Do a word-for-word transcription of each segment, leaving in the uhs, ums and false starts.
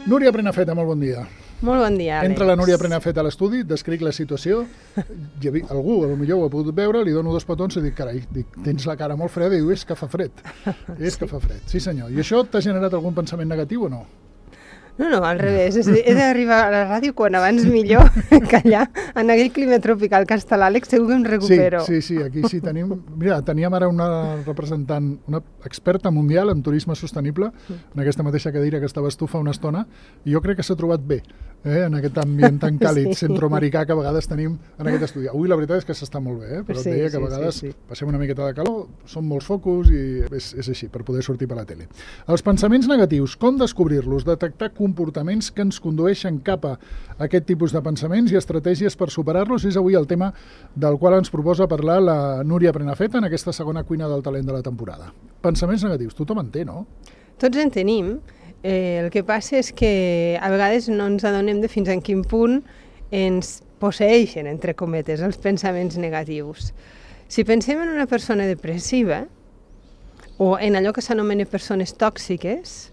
Núria Prenafeta, molt bon dia. Molt bon dia, Àlex. Entra la Núria Prenafeta a l'estudi, descric la situació. Hi havia, algú, potser ho ha pogut veure, li dono dos petons i dic, carai, dic, tens la cara molt freda, i diu, és que fa fred. És sí. que fa fred, sí senyor. I això t'ha generat algun pensament negatiu o no? No, no, al revés. He d'arribar a la ràdio quan abans millor que allà, en aquell clima tropical que està l'Àlex, segur que em recupero. Sí, sí, sí, aquí sí tenim... Mira, teníem ara una representant, una experta mundial en turisme sostenible, en aquesta mateixa cadira que estaves tu fa una estona, i jo crec que s'ha trobat bé, eh, en aquest ambient tan càlid sí. centroamericà que a vegades tenim en aquest estudi. Avui la veritat és que s'està molt bé, eh, però sí, et deia que a vegades sí, sí. passem una miqueta de calor, són molts focus i és, és així, per poder sortir per la tele. Els pensaments negatius, com descobrir-los, detectar comportaments que ens condueixen cap a aquest tipus de pensaments i estratègies per superar-los, és avui el tema del qual ens proposa parlar la Núria Prenafeta en aquesta segona cuina del talent de la temporada. Pensaments negatius, tothom en té, no? Tots en tenim. Eh, el que passa és que a vegades no ens adonem de fins en quin punt ens posseeixen, entre cometes, els pensaments negatius. Si pensem en una persona depressiva o en allò que s'anomena persones tòxiques,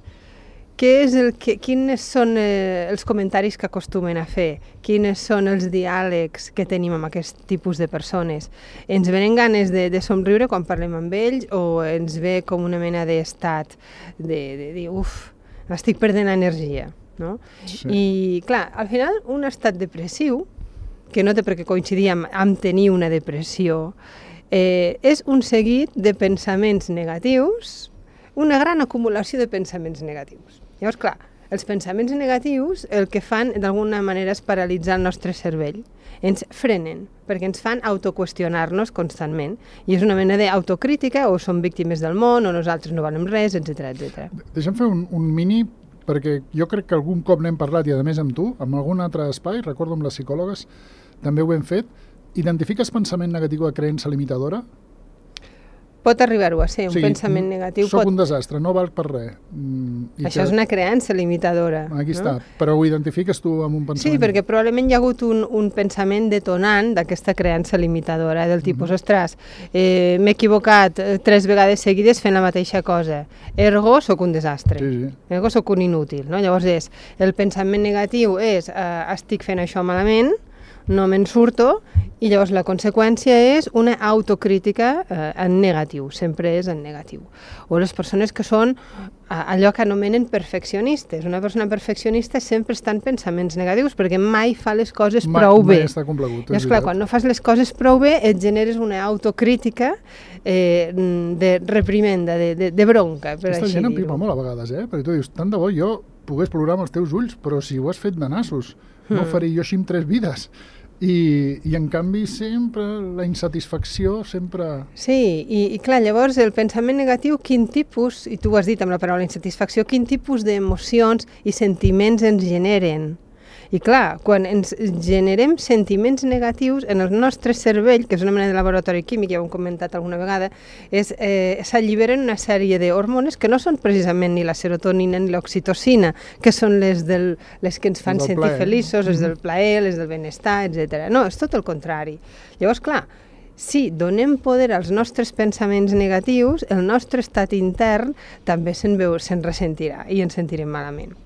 què és el que, quines són eh, els comentaris que acostumen a fer? Quines són els diàlegs que tenim amb aquest tipus de persones? Ens venen ganes de, de somriure quan parlem amb ells o ens ve com una mena d'estat de, de dir, uf, estic perdent energia, no? Sí. I, clar, al final, un estat depressiu, que no té per què coincidir amb, amb tenir una depressió, eh, és un seguit de pensaments negatius, una gran acumulació de pensaments negatius. Llavors, clar, els pensaments negatius el que fan d'alguna manera és paralitzar el nostre cervell. Ens frenen, perquè ens fan autoqüestionar-nos constantment. I és una mena d'autocrítica, o som víctimes del món, o nosaltres no valem res, etcètera, etcètera. Deixa'm fer un, un mini, perquè jo crec que algun cop n'hem parlat, i a més amb tu, en algun altre espai, recordo amb les psicòlogues, també ho hem fet. Identifiques pensament negatiu a creença limitadora? Pot arribar-ho a ser, un o sigui, pensament negatiu. Soc pot... un desastre, no valc per res. Mm, Això que... és una creença limitadora. Aquí no? està, però ho identifiques tu amb un pensament? Sí, perquè probablement hi ha hagut un, un pensament detonant d'aquesta creença limitadora, del tipus, mm-hmm. ostres, eh, m'he equivocat tres vegades seguides fent la mateixa cosa, ergo sóc un desastre, sí, sí. ergo sóc un inútil. No? Llavors és, el pensament negatiu és, eh, estic fent això malament, no me'n surto, i llavors la conseqüència és una autocrítica eh, en negatiu, sempre és en negatiu. O les persones que són eh, allò que anomenen perfeccionistes. Una persona perfeccionista sempre està en pensaments negatius perquè mai fa les coses mai, prou bé. Mai està complegut. I esclar, quan no fas les coses prou bé et generes una autocrítica eh, de reprimenda, de, de, de bronca, per Aquesta així gent dir-ho. empipa molt a vegades, eh? Perquè tu dius, tant de bo jo pogués plorar amb els teus ulls, però si ho has fet de nassos, no ho faré jo així amb tres vides. I, i en canvi sempre la insatisfacció sempre... Sí, i, i clar, llavors el pensament negatiu, quin tipus, i tu ho has dit amb la paraula insatisfacció, quin tipus d'emocions i sentiments ens generen? I clar, quan ens generem sentiments negatius en el nostre cervell, que és una mena de laboratori químic, ja ho hem comentat alguna vegada, és, eh, s'alliberen una sèrie d'hormones que no són precisament ni la serotonina ni l'oxitocina, que són les, del, les que ens fan sentir plaer. Feliços, les del plaer, les del benestar, etcètera. No, és tot el contrari. Llavors, clar, si donem poder als nostres pensaments negatius, el nostre estat intern també se'n veu, se'n ressentirà i ens sentirem malament.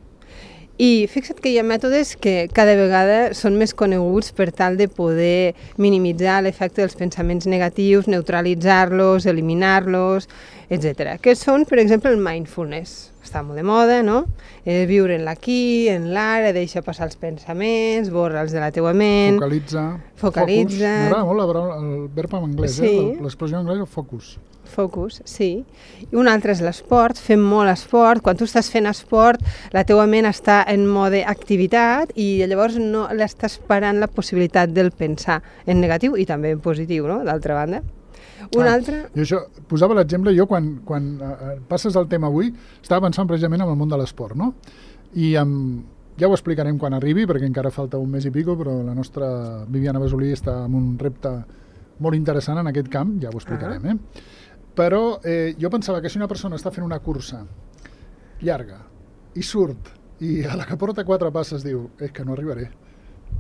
I fixa't que hi ha mètodes que cada vegada són més coneguts per tal de poder minimitzar l'efecte dels pensaments negatius, neutralitzar-los, eliminar-los, etcètera. Que són, per exemple, el mindfulness. Està molt de moda, no? Eh, viure en l'aquí, en l'ara, deixa passar els pensaments, borra'ls de la teua ment... Focalitza. Focalitza. M'agrada molt la paraula, el verb en anglès, sí. eh? L'expressió en anglès, focus. Focus, sí. I un altre és l'esport, fem molt esport. Quan tu estàs fent esport, la teua ment està en mode activitat i llavors no l'estàs parant la possibilitat del pensar en negatiu i també en positiu, no?, d'altra banda. Un ah, altre... I això, posava l'exemple, jo quan, quan uh, passes el tema avui, estava pensant precisament en el món de l'esport, no? I um, ja ho explicarem quan arribi, perquè encara falta un mes i pico, però la nostra Viviana Basolí està amb un repte molt interessant en aquest camp, ja ho explicarem, ah. eh? Però eh, jo pensava que si una persona està fent una cursa llarga i surt i a la que porta quatre passes diu és que no arribaré,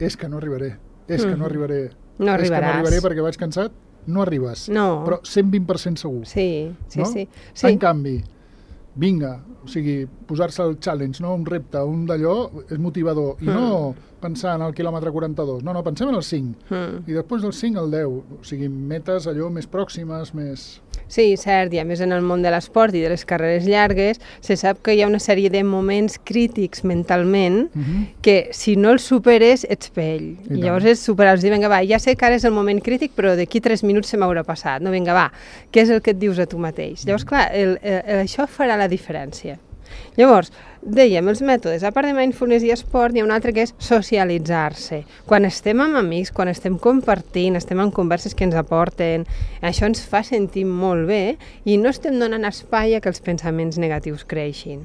és que no arribaré, és que no arribaré, no és que no arribaràs. arribaré perquè vaig cansat, no arribes, no. però cent vint per cent segur. Sí, sí, no? sí. sí. En canvi, vinga, o sigui, posar-se el challenge, no? Un repte, un d'allò, és motivador. I mm. no pensar en el quilòmetre quaranta-dos, no, no, pensem en el cinc. Mm. I després del cinc al deu, o sigui, metes allò més pròximes, més... Sí, cert, i a més en el món de l'esport i de les carreres llargues se sap que hi ha una sèrie de moments crítics mentalment uh-huh. que si no els superes ets pell. I, I llavors és superar-los, dir, vinga, va, ja sé que ara és el moment crític, però d'aquí tres minuts se m'haurà passat. No, vinga, va, què és el que et dius a tu mateix? Llavors, clar, el, el, el, això farà la diferència. Llavors, dèiem, els mètodes, a part de mindfulness i esport, hi ha un altre que és socialitzar-se. Quan estem amb amics, quan estem compartint, estem en converses que ens aporten, això ens fa sentir molt bé i no estem donant espai a que els pensaments negatius creixin.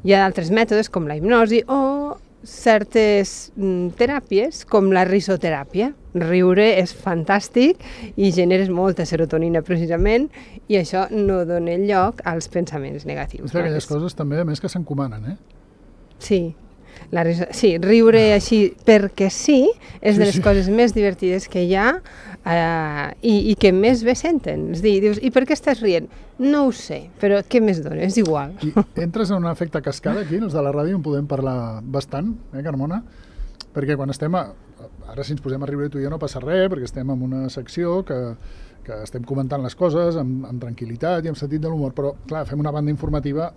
Hi ha altres mètodes com la hipnosi o certes mm, teràpies com la risoteràpia. Riure és fantàstic i generes molta serotonina precisament i això no dona lloc als pensaments negatius. És d'aquelles no? coses també, a més, que s'encomanen, eh? Sí. La riso... Sí, riure ah. així perquè sí és sí, de les sí. coses més divertides que hi ha eh, i, i que més bé senten. És dir, dius, i per què estàs rient? No ho sé, però què més dona? És igual. I entres en un efecte cascada aquí, els de la ràdio en podem parlar bastant, eh, Carmona? Perquè quan estem a... Ara si ens posem a riure tu i jo no passa res, perquè estem en una secció que, que estem comentant les coses amb, amb tranquil·litat i amb sentit de l'humor, però clar, fem una banda informativa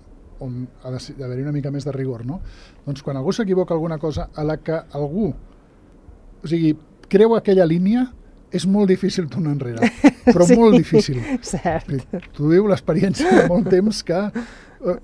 on ha d'haver-hi una mica més de rigor, no? Doncs quan algú s'equivoca alguna cosa a la que algú, o sigui, creu aquella línia, és molt difícil tornar enrere, però sí, molt difícil. Cert. Tu diu l'experiència de molt temps que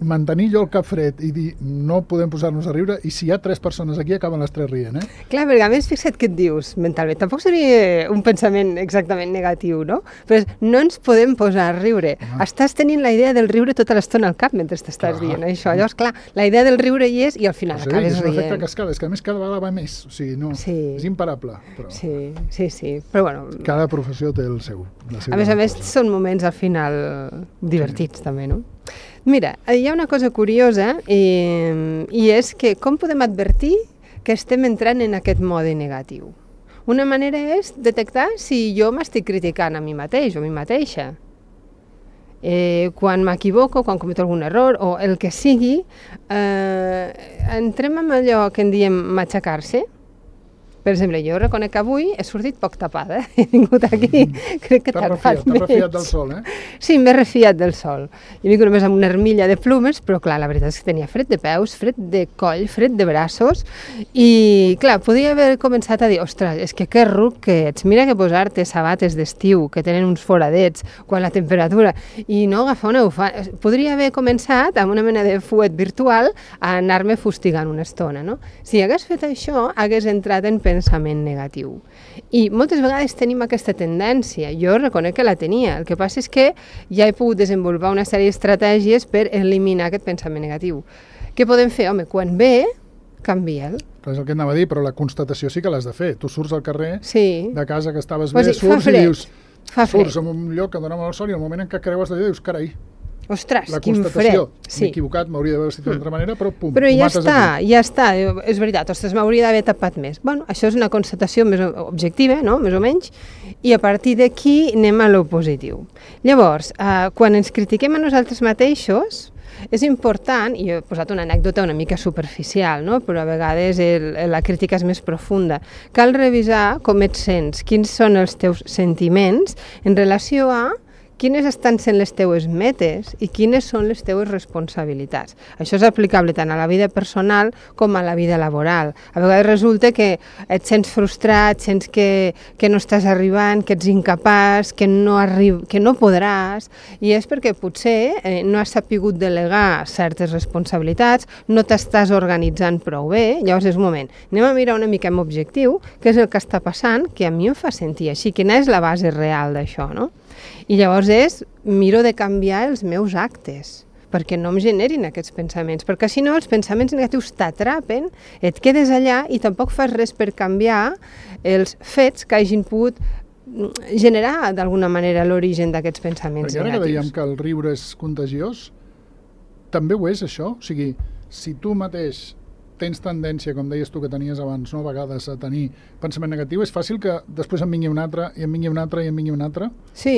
mantenir jo el cap fred i dir no podem posar-nos a riure i si hi ha tres persones aquí acaben les tres rient, eh? Clar, perquè a més fixa't què et dius mentalment, tampoc seria un pensament exactament negatiu, no? Però no ens podem posar a riure. Ah. Estàs tenint la idea del riure tota l'estona al cap mentre t'estàs dient això. Llavors, clar, la idea del riure hi és i al final sí, acabes rient. És un efecte cascada, és que a més cada vegada va més, o sigui, no, sí. és imparable. Però... Sí, sí, sí, però bueno... Cada professió té el seu. A més a més, cosa. Són moments al final divertits sí. també, no? Mira, hi ha una cosa curiosa i, i és que com podem advertir que estem entrant en aquest mode negatiu? Una manera és detectar si jo m'estic criticant a mi mateix o a mi mateixa. Eh, quan m'equivoco, quan cometo algun error o el que sigui, eh, entrem en allò que en diem matxacar-se. Per exemple, jo reconec que avui he sortit poc tapada, eh? He vingut aquí, mm. crec que t'ha refiat, t'ha refiat del sol, eh? Sí, m'he refiat del sol. He vingut només amb una armilla de plumes, però clar, la veritat és que tenia fred de peus, fred de coll, fred de braços, i clar, podria haver començat a dir, ostres, és que que ruc que ets, mira que posar-te sabates d'estiu, que tenen uns foradets, quan la temperatura, i no agafar una bufanda. Podria haver començat amb una mena de fuet virtual a anar-me fustigant una estona, no? Si hagués fet això, hagués entrat en pensament negatiu. I moltes vegades tenim aquesta tendència. Jo reconec que la tenia. El que passa és que ja he pogut desenvolupar una sèrie d'estratègies per eliminar aquest pensament negatiu. Què podem fer? Home, quan ve, canvia'l. És el que anava a dir, però la constatació sí que l'has de fer. Tu surts al carrer sí. de casa que estaves pues bé, sí, surts i dius... Fa surts en un lloc que dona molt sol i al moment en què creues d'allò dius, carai, ostres, la quin fred. Sí. M'he equivocat, m'hauria d'haver vestit d'altra manera, però pum, però ja està, aquí. ja està, és veritat, ostres, m'hauria d'haver tapat més. Bueno, això és una constatació més objectiva, no?, més o menys, i a partir d'aquí anem a lo positiu. Llavors, eh, quan ens critiquem a nosaltres mateixos, és important, i jo he posat una anècdota una mica superficial, no?, però a vegades el, la crítica és més profunda. Cal revisar com et sents, quins són els teus sentiments en relació a quines estan sent les teues metes i quines són les teues responsabilitats. Això és aplicable tant a la vida personal com a la vida laboral. A vegades resulta que et sents frustrat, sents que, que no estàs arribant, que ets incapaç, que no, arri- que no podràs, i és perquè potser eh, no has sapigut delegar certes responsabilitats, no t'estàs organitzant prou bé, llavors és un moment. Anem a mirar una mica amb objectiu què és el que està passant, que a mi em fa sentir així, quina és la base real d'això, no? I llavors és, miro de canviar els meus actes, perquè no em generin aquests pensaments, perquè si no els pensaments negatius t'atrapen, et quedes allà i tampoc fas res per canviar els fets que hagin pogut generar d'alguna manera l'origen d'aquests pensaments perquè negatius. Perquè ara que dèiem que el riure és contagiós, també ho és això? O sigui, si tu mateix tens tendència, com deies tu que tenies abans, no, a vegades a tenir pensament negatiu, és fàcil que després en vingui un altre, i en vingui un altre, i en vingui un altre? Sí,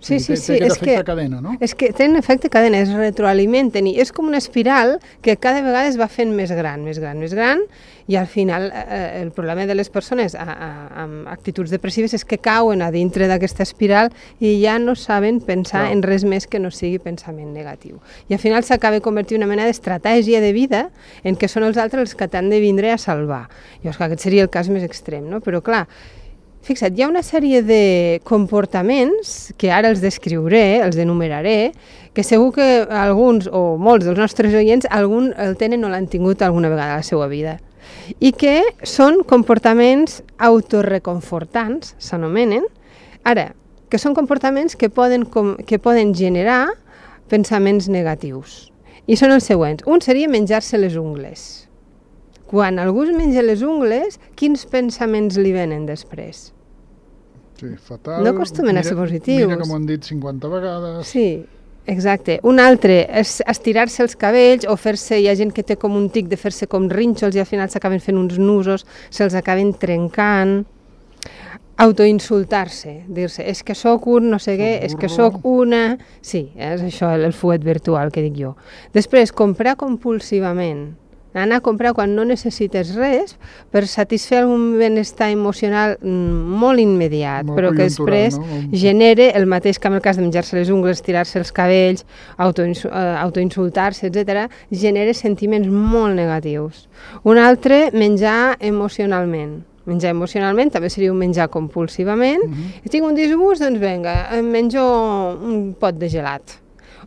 Sí, sí, té, sí, té aquest és efecte que, cadena, no? És que tenen efecte cadena, es retroalimenten i és com una espiral que cada vegada es va fent més gran, més gran, més gran i al final eh, el problema de les persones a, a, amb actituds depressives és que cauen a dintre d'aquesta espiral i ja no saben pensar Clar. en res més que no sigui pensament negatiu. I al final s'acaba convertint en una mena d'estratègia de vida en què són els altres els que t'han de vindre a salvar. Llavors, clar, aquest seria el cas més extrem, no? Però clar, fixa't, hi ha una sèrie de comportaments que ara els descriuré, els enumeraré, que segur que alguns o molts dels nostres oients algun el tenen o l'han tingut alguna vegada a la seva vida. I que són comportaments autorreconfortants, s'anomenen. Ara, que són comportaments que poden, com, que poden generar pensaments negatius. I són els següents. Un seria menjar-se les ungles. Quan algú es menja les ungles, quins pensaments li venen després? Sí, fatal. No acostumen a ser positius. Mira que m'ho han dit cinquanta vegades. Sí, exacte. Un altre és estirar-se els cabells o fer-se, hi ha gent que té com un tic de fer-se com rínxols i al final s'acaben fent uns nusos, se'ls acaben trencant. Autoinsultar-se, dir-se, és que sóc un no sé què, és que sóc una... Sí, és això, el, el fuet virtual que dic jo. Després, comprar compulsivament. Anar a comprar quan no necessites res per satisfer algun benestar emocional molt immediat, molt però que després no? genere el mateix que en el cas de menjar-se les ungles, tirar-se els cabells, autoinsultar-se, etcètera, genera sentiments molt negatius. Un altre, menjar emocionalment. Menjar emocionalment també seria un menjar compulsivament. Uh-huh. I tinc un disgust, doncs vinga, em menjo un pot de gelat.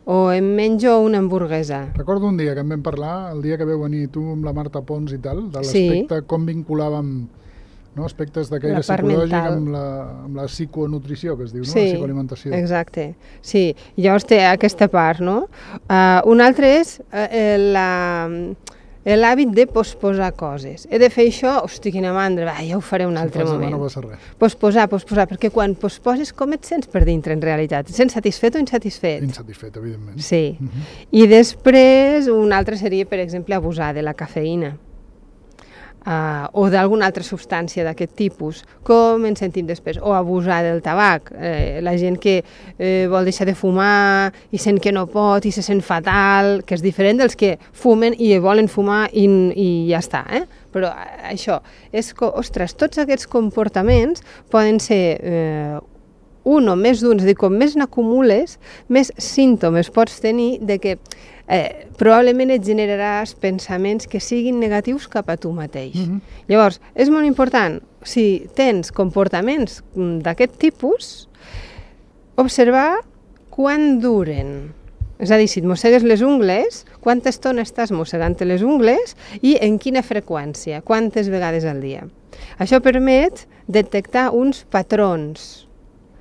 O em menjo una hamburguesa. Recordo un dia que en vam parlar, el dia que veu venir tu amb la Marta Pons i tal, de l'aspecte, sí. com vinculàvem no, aspectes de caire psicològic amb la, amb la psiconutrició, que es diu, no? Sí, la psicoalimentació. Exacte. Sí, i llavors té aquesta part, no? Uh, un altre és uh, la... l'hàbit de posposar coses. He de fer això, hosti, quina mandra, va, ja ho faré un si altre moment. No passa res. Posposar, posposar, perquè quan posposes com et sents per dintre en realitat? Et sents satisfet o insatisfet? Insatisfet, evidentment. Sí. Uh-huh. I després un altre seria, per exemple, abusar de la cafeïna. Uh, o d'alguna altra substància d'aquest tipus, com ens sentim després, o abusar del tabac, eh, la gent que eh, vol deixar de fumar i sent que no pot i se sent fatal, que és diferent dels que fumen i volen fumar i, i ja està, eh? Però això, és que, ostres, tots aquests comportaments poden ser eh, un o més d'un, és a dir, com més n'acumules, més símptomes pots tenir de que Eh, probablement et generaràs pensaments que siguin negatius cap a tu mateix. Mm-hmm. Llavors, és molt important, si tens comportaments d'aquest tipus, observar quan duren. És a dir, si et mossegues les ungles, quanta estona estàs mossegant les ungles i en quina freqüència, quantes vegades al dia. Això permet detectar uns patrons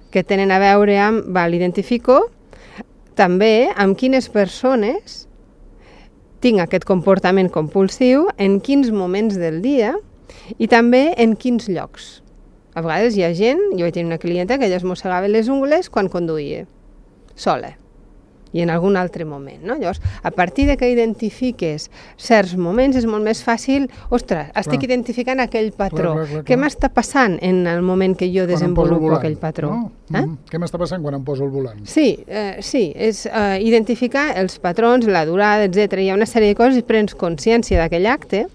que tenen a veure amb, val, identifico també amb quines persones tinc aquest comportament compulsiu, en quins moments del dia i també en quins llocs. A vegades hi ha gent, jo vaig tenir una clienta que ella es mossegava les ungles quan conduïa, sola, i en algun altre moment, no? Llavors, a partir de que identifiques certs moments és molt més fàcil, ostres, estic clar. identificant aquell patró. Clar, clar, clar, clar. Què m'està passant en el moment que jo quan desenvolupo volant, aquell patró? No? Eh? Mm-hmm. Què m'està passant quan em poso el volant? Sí, eh, sí, és eh, identificar els patrons, la durada, etcètera. Hi ha una sèrie de coses i prens consciència d'aquell acte.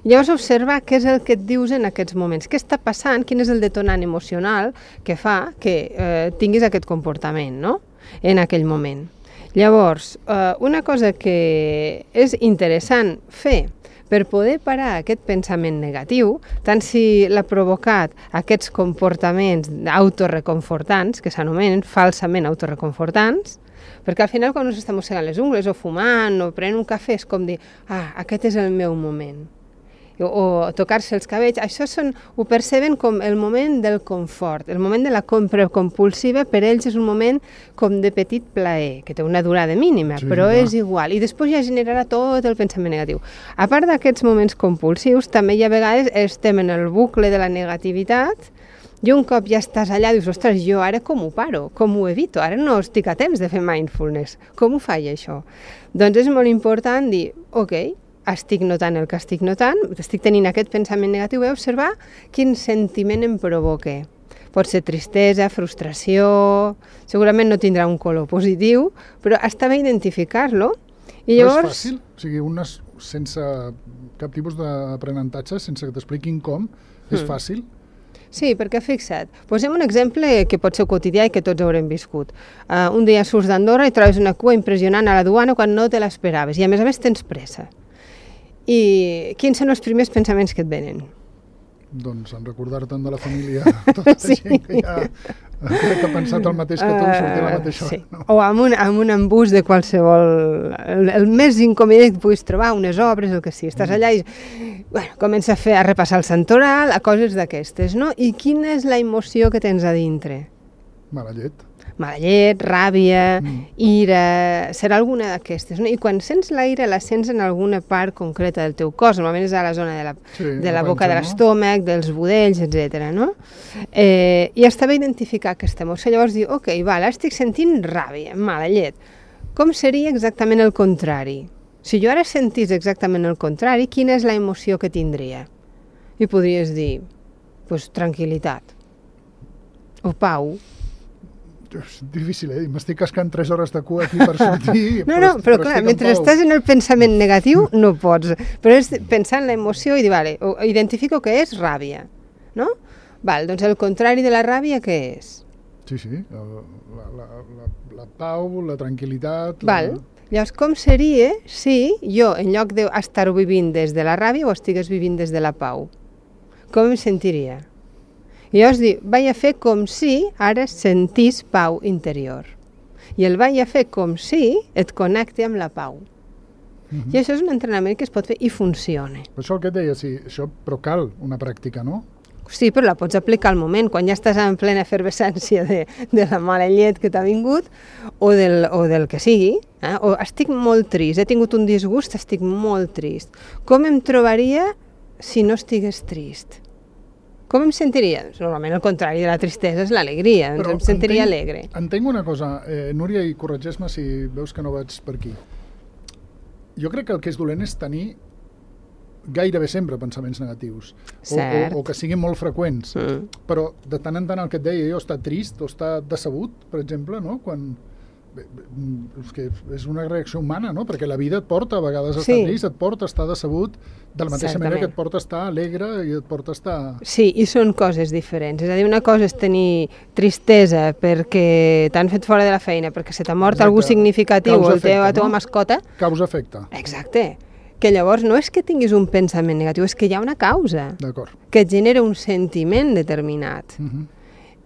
Llavors observar què és el que et dius en aquests moments, què està passant, quin és el detonant emocional que fa que eh, tinguis aquest comportament, no? En aquell moment. Llavors, eh, una cosa que és interessant fer per poder parar aquest pensament negatiu, tant si l'ha provocat aquests comportaments autorreconfortants, que s'anomenen falsament autorreconfortants, perquè al final quan ens estem mossegant les ungles o fumant o prenent un cafè és com dir, ah, aquest és el meu moment. O, o tocar-se els cabells, això són, ho perceben com el moment del confort, el moment de la compra compulsiva per ells és un moment com de petit plaer, que té una durada mínima, sí, però clar. És igual, i després ja generarà tot el pensament negatiu. A part d'aquests moments compulsius, també hi ha vegades estem en el bucle de la negativitat i un cop ja estàs allà dius, ostres, jo ara com ho paro, com ho evito, ara no estic a temps de fer mindfulness, com ho faig això? Doncs és molt important dir, ok, estic notant el que estic notant, estic tenint aquest pensament negatiu, he observar quin sentiment em provoca. Pot ser tristesa, frustració, segurament no tindrà un color positiu, però està bé identificar-lo. I llavors... No és fàcil? O sigui, unes, sense cap tipus d'aprenentatge, sense que t'expliquin com, és Mm. fàcil? Sí, perquè fixa't, posem un exemple que pot ser quotidià i que tots haurem viscut. Uh, un dia surts d'Andorra i trobes una cua impressionant a la duana quan no te l'esperaves i a més a més tens pressa. I quins són els primers pensaments que et venen? Doncs en recordar-te'n de la família, tota la Sí. gent que ja crec que ha pensat el mateix que tu, uh, sortir a la mateixa hora. sí. No? O amb un, amb un embús de qualsevol... El, el més inconvenient que puguis trobar, unes obres, el que sigui. Estàs allà i bueno, comença a, fer, a repassar el santoral, a coses d'aquestes, no? I quina és la emoció que tens a dintre? Mala llet. Mala llet, ràbia, Mm. ira, serà alguna d'aquestes, no? I quan sents la ira la sents en alguna part concreta del teu cos, normalment és a la zona de la, Sí, de la la boca panxa, de no? l'estómac, dels budells, etcètera, no? Eh, I està bé identificar aquesta emoció, llavors dir, ok, val, ara estic sentint ràbia, mala llet. Com seria exactament el contrari? Si jo ara sentís exactament el contrari, quina és la emoció que tindria? I podries dir, pues, tranquil·litat, o pau. És difícil, eh? M'estic cascant tres hores de cua aquí per sortir. No, no, però clar, mentre estàs en el pensament negatiu no pots, però és pensar en l'emoció i dir, vale, o identifico que és ràbia, no? Val, doncs el contrari de la ràbia què és? Sí, sí, la, la, la, la, la pau, la tranquil·litat... Val, La... llavors com seria si jo, en lloc d'estar-ho vivint des de la ràbia, ho estigués vivint des de la pau? Com em sentiria? I llavors dic, vaig a fer com si ara sentís pau interior. I el vaig a fer com si et connecti amb la pau. Mhm. I això és un entrenament que es pot fer i funciona. Per això el que et deia, sí, això, però cal una pràctica, no? Sí, però la pots aplicar al moment, quan ja estàs en plena efervescència de, de la mala llet que t'ha vingut o del, o del que sigui. Eh? O estic molt trist, he tingut un disgust, estic molt trist. Com em trobaria si no estigués trist? Com em sentiria? Normalment el contrari de la tristesa és l'alegria, doncs Però em sentiria entenc, alegre. Entenc una cosa, eh, Núria, i corregeix-me si veus que no vaig per aquí. Jo crec que el que és dolent és tenir gairebé sempre pensaments negatius. O, Cert. o, o que siguin molt freqüents. Mm. Però de tant en tant el que et deia jo, estar trist o estar decebut, per exemple, no? Quan... bé, bé, és que és una reacció humana, no? Perquè la vida et porta a vegades a estar Sí. trist, et porta a estar decebut, de la mateixa manera Certament. que et porta a estar alegre i et porta a estar... Sí, i són coses diferents. És a dir, una cosa és tenir tristesa perquè t'han fet fora de la feina, perquè se t'ha mort Exacte. algú significatiu, o el teu, Causa-efecte, la teva no? mascota. Causa-efecte. Exacte. Que llavors no és que tinguis un pensament negatiu, és que hi ha una causa D'acord. que et genera un sentiment determinat. Uh -huh.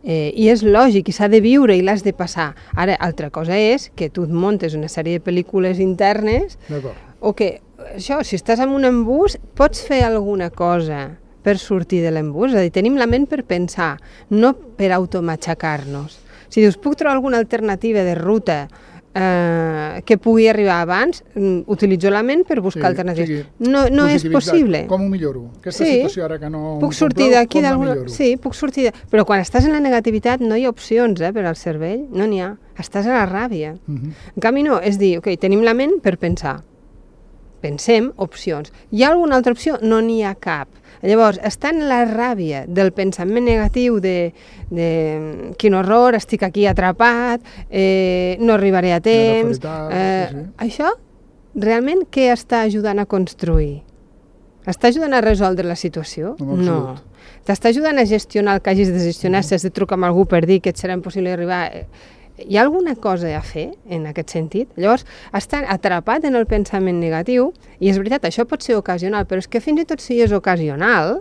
Eh, I és lògic, i s'ha de viure i l'has de passar. Ara, altra cosa és que tu et montes una sèrie de pel·lícules internes D'acord. o que, això, si estàs en un embús, pots fer alguna cosa per sortir de l'embús. És a dir, tenim la ment per pensar, no per automatxacar-nos. Si dius, puc trobar alguna alternativa de ruta eh, que pugui arribar abans, mm, utilitzo la ment per buscar Sí, alternatives. sigui, no no és positivitat. possible. Com ho milloro? Aquesta Sí. situació ara que no... Puc em sortir compleu, d'aquí com la d'alguna... milloro? Sí, puc sortir... De... Però quan estàs en la negativitat no hi ha opcions eh, per al cervell, no n'hi ha. Estàs a la ràbia. Uh -huh. En canvi no, és dir, ok, tenim la ment per pensar. Pensem opcions. Hi ha alguna altra opció? No n'hi ha cap. Llavors, està en la ràbia del pensament negatiu de, de quin horror, estic aquí atrapat, eh, no arribaré a temps... felicitat, Eh, sí, sí. Això, realment, què està ajudant a construir? Està ajudant a resoldre la situació? En absolut. No. T'està ajudant a gestionar el que hagis de gestionar, si has de trucar amb algú per dir que et serà impossible arribar... Eh, Hi ha alguna cosa a fer en aquest sentit? Llavors, estar atrapat en el pensament negatiu, i és veritat, això pot ser ocasional, però és que fins i tot si és ocasional,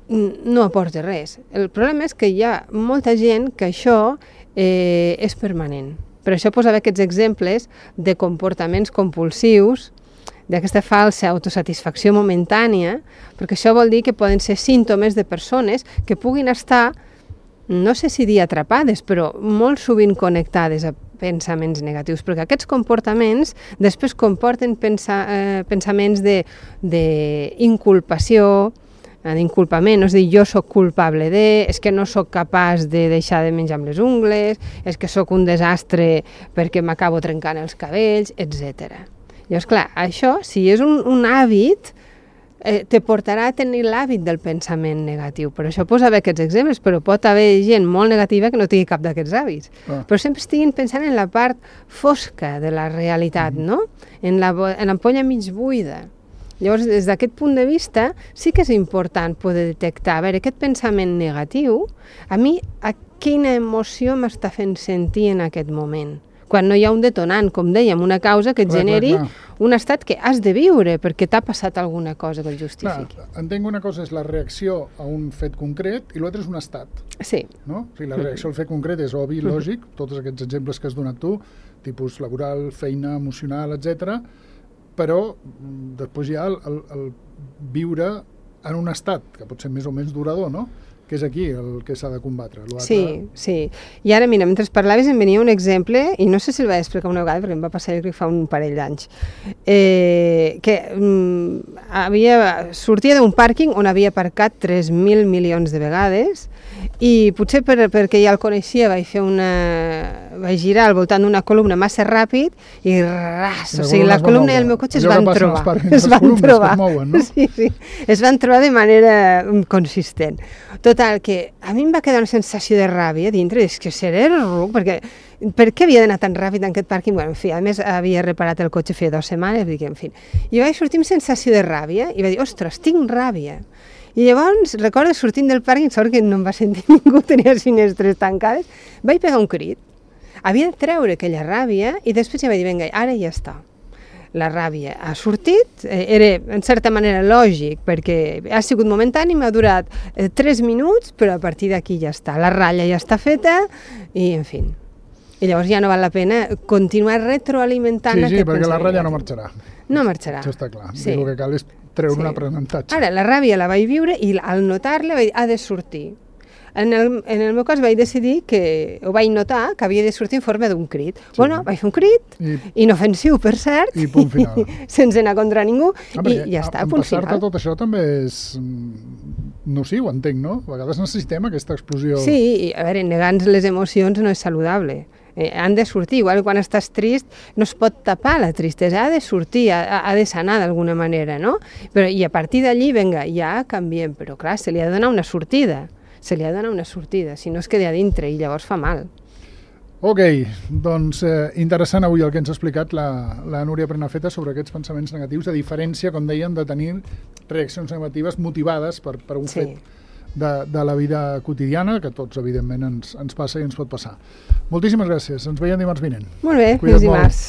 no aporta res. El problema és que hi ha molta gent que això eh, és permanent. Per això posava aquests exemples de comportaments compulsius, d'aquesta falsa autosatisfacció momentània, perquè això vol dir que poden ser símptomes de persones que puguin estar, no sé si dir atrapades, però molt sovint connectades a pensaments negatius, perquè aquests comportaments després comporten pensa, eh, pensaments d'inculpació, d'inculpament, és a dir, jo sóc culpable de, és que no sóc capaç de deixar de menjar amb les ungles, és que sóc un desastre perquè m'acabo trencant els cabells, etcètera. Llavors, clar, això, si és un, un hàbit, eh, te portarà a tenir l'hàbit del pensament negatiu. Per això posava aquests exemples, però pot haver gent molt negativa que no tingui cap d'aquests hàbits. Ah. Però sempre estiguin pensant en la part fosca de la realitat, mm. no? En la, en l'ampolla mig buida. Llavors, des d'aquest punt de vista, sí que és important poder detectar, a veure, aquest pensament negatiu, a mi, a quina emoció m'està fent sentir en aquest moment? Quan no hi ha un detonant, com dèiem, una causa que et clar, generi clar, clar. un estat que has de viure perquè t'ha passat alguna cosa que el justifiqui. Clar, entenc una cosa és la reacció a un fet concret i l'altre és un estat. Sí. No? O sigui, la reacció al fet concret és obvi, lògic, tots aquests exemples que has donat tu, tipus laboral, feina, emocional, etcètera, però després hi ha el, el, el viure en un estat, que pot ser més o menys durador, no? Que és aquí el que s'ha de combatre. Sí, sí. I ara, mira, mentre parlaves em venia un exemple, i no sé si el vaig explicar una vegada, perquè em va passar jo crec que fa un parell d'anys, eh, que mm, havia, sortia d'un pàrquing on havia aparcat tres mil milions de vegades, i potser per, perquè ja el coneixia vaig fer una... vaig girar al voltant d'una columna massa ràpid i ras, o sigui, la columna i el meu cotxe es van trobar. Es van trobar. Mouen, no? Sí, sí. Es van trobar de manera consistent. Total, que a mi em va quedar una sensació de ràbia dintre, és que seré ruc, perquè per què havia d'anar tan ràpid en aquest pàrquing? Bueno, en fi, a més havia reparat el cotxe feia dues setmanes, dic, en fi. I vaig sortir amb sensació de ràbia i vaig dir, ostres, tinc ràbia. I llavors, recordo sortint del pàrquing, sort que no em va sentir ningú, tenia les finestres tancades, vaig pegar un crit. Havia de treure aquella ràbia i després ja vaig dir, vinga, ara ja està. La ràbia ha sortit, eh, era en certa manera lògic, perquè ha sigut momentani, m'ha durat eh, tres minuts, però a partir d'aquí ja està. La ratlla ja està feta i, en fi. I llavors ja no val la pena continuar retroalimentant sí, aquest sí, perquè la ratlla no marxarà. No marxarà. Això està clar. Sí. El que cal és treure sí. un aprenentatge. Ara, la ràbia la vaig viure i al notar-la vaig dir, ha de sortir. En el, en el meu cas vaig decidir que, ho vaig notar, que havia de sortir en forma d'un crit. Sí. Bueno, vaig fer un crit, I, inofensiu per cert, i punt final. sense anar contra ningú, ah, i ja està, punt final. Empassar-te tot això també és nociu, entenc, no? A vegades necessitem aquesta explosió. Sí, i a veure, negant les emocions no és saludable. Eh, han de sortir, igual que quan estàs trist no es pot tapar la tristesa, ha de sortir, ha, ha de sanar d'alguna manera, no? Però, i a partir d'allí, vinga, ja canviem, però clar, se li ha de donar una sortida, se li ha de donar una sortida, si no es queda a dintre i llavors fa mal. Ok, doncs eh, interessant avui el que ens ha explicat la, la Núria Prenafeta sobre aquests pensaments negatius, a diferència, com dèiem, de tenir reaccions negatives motivades per, per un sí. fet de, de la vida quotidiana, que tots, evidentment, ens, ens passa i ens pot passar. Moltíssimes gràcies. Ens veiem dimarts vinent. Molt bé, fins dimarts.